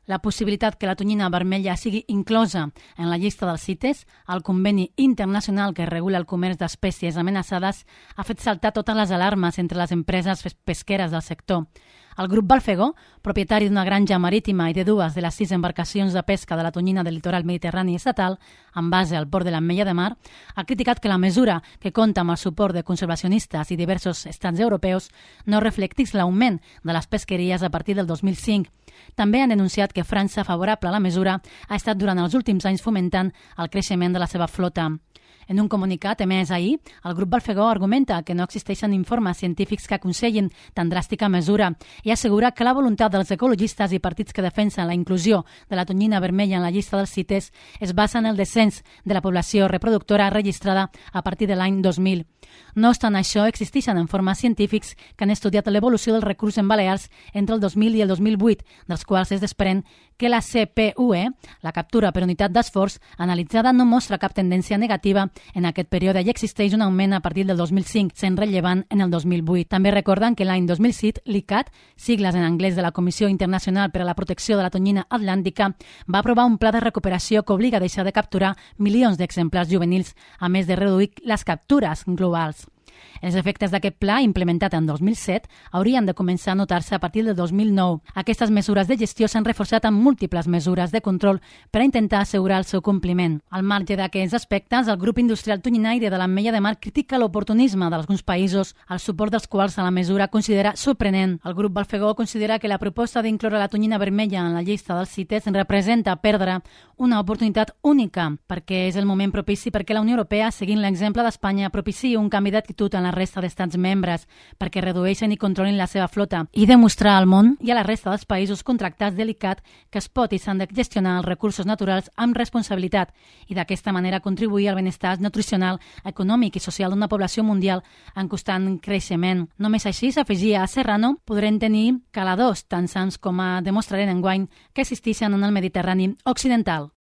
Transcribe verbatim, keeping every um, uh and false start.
La possibilitat que la tonyina vermella sigui inclosa en la llista dels CITES, el conveni internacional que regula el comerç d'espècies amenaçades, ha fet saltar totes les alarmes entre les empreses pesqueres del sector. El grup Balfegó, propietari d'una granja marítima i de dues de les sis embarcacions de pesca de la tonyina del litoral mediterrani estatal, amb base al port de l'Ametlla de Mar, ha criticat que la mesura, que compta amb el suport de conservacionistes i diversos estats europeus, no reflectís l'augment de les pesqueries a partir del dos mil cinc. També han denunciat que França, favorable a la mesura, ha estat durant els últims anys fomentant el creixement de la seva flota. En un comunicat emès ahir, el grup Balfegó argumenta que no existeixen informes científics que aconsellin tan dràstica mesura i assegura que la voluntat dels ecologistes i partits que defensen la inclusió de la tonyina vermella en la llista dels CITES es basa en el descens de la població reproductora registrada a partir de l'any dos mil. No obstant això, existeixen informes científics que han estudiat l'evolució del recurs en Balears entre el dos mil i el dos mil vuit, dels quals es desprèn que la C P U E, la captura per unitat d'esforç, analitzada no mostra cap tendència negativa en aquest període i existeix un augment a partir del dos mil cinc, sent rellevant en el dos mil vuit. També recorden que l'any dos mil set, l'I C A T, sigles en anglès de la Comissió Internacional per a la Protecció de la Tonyina Atlàntica, va aprovar un pla de recuperació que obliga a deixar de capturar milions d'exemplars juvenils, a més de reduir les captures globals. Els efectes d'aquest pla, implementat en dos mil set, haurien de començar a notar-se a partir del dos mil nou. Aquestes mesures de gestió s'han reforçat amb múltiples mesures de control per a intentar assegurar el seu compliment. Al marge d'aquests aspectes, el grup industrial tonyinaire de l'Ametlla de Mar critica l'oportunisme d'alguns països, el suport dels quals a la mesura considera sorprenent. El grup Balfegó considera que la proposta d'incloure la tonyina vermella en la llista dels CITES representa perdre una oportunitat única, perquè és el moment propici perquè la Unió Europea, seguint l'exemple d'Espanya, propiciï un canvi d'actitud en la resta d'estats membres perquè redueixen i controlin la seva flota i demostrar al món i a la resta dels països contractats de l'I C A T que es pot i s'han de gestionar els recursos naturals amb responsabilitat i d'aquesta manera contribuir al benestar nutricional, econòmic i social d'una població mundial en constant creixement. Només així, s'afegia a Serrano, podrem tenir caladors tan sants com a demostraren enguany que existeixen en el Mediterrani occidental.